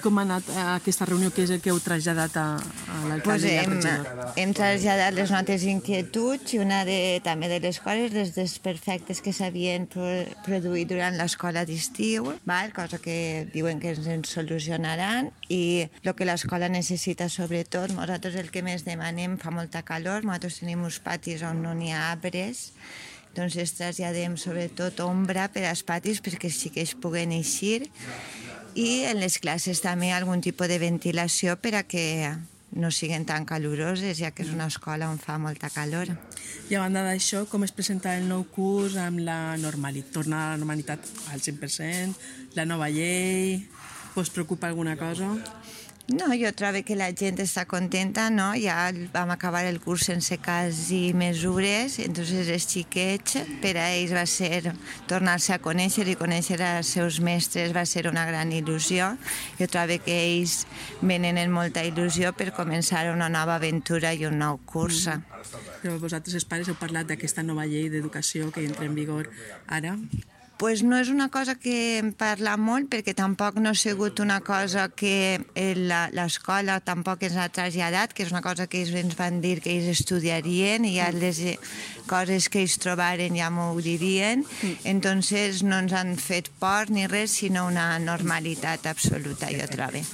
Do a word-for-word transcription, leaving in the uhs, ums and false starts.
Com ha anat aquesta reunió? Què és el que heu traslladat a, a l'alcalde i al regidor? Hem traslladat les notes d'inquietuds i una de, també de les coses, dels desperfectes que s'havien produït durant l'escola d'estiu, cosa que diuen que ens solucionaran, i el que l'escola necessita sobretot. Nosaltres el que més demanem, fa molta calor, nosaltres tenim uns patis on no n'hi ha arbres, doncs es traslladem sobretot ombra per als patis perquè sí que es puguen eixir, i en les classes també algun tipus de ventilació per a que no siguin tan caloroses, ja que és una escola on fa molta calor. I a banda d'això, com es presenta el nou curs amb la normalitat? Torna a la normalitat al cent per cent? La nova llei? Us preocupa alguna cosa? No, jo trobo que la gent està contenta, no? Ja vam acabar el curs sense quasi mesures, entonces els xiquets, per a ells va ser tornar-se a conèixer i conèixer els seus mestres va ser una gran il·lusió. Jo trobo que ells venen amb molta il·lusió per començar una nova aventura i un nou curs. Però vosaltres, els pares, heu parlat d'aquesta nova llei d'educació que entra en vigor ara? Pues no és una cosa que em parla molt, perquè tampoc no ha sigut una cosa que l'escola tampoc ens ha traslladat, que és una cosa que ells ens van dir que ells estudiarien i ja les coses que ells trobaren ja m'ho dirien. Entonces no ens han fet por ni res, sinó una normalitat absoluta, jo trobo.